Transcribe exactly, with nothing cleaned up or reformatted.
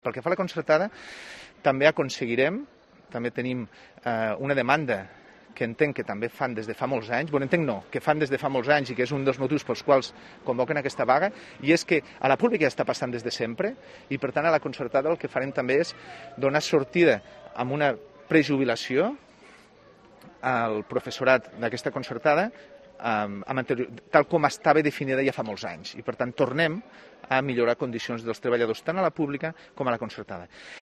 Pel que fa a la concertada, també aconseguirem, també tenim eh, una demanda que entenc que també fan des de fa molts anys, bueno, entenc no, que fan des de fa molts anys i que és un dels motius pels quals convoquen aquesta vaga, i és que a la pública ja està passant des de sempre, i per tant a la concertada el que farem també és donar sortida amb una prejubilació al professorat d'aquesta concertada, amb anterior, tal com estava definida ja fa molts anys, i per tant tornem a millorar condicions dels treballadors tant a la pública com a la concertada.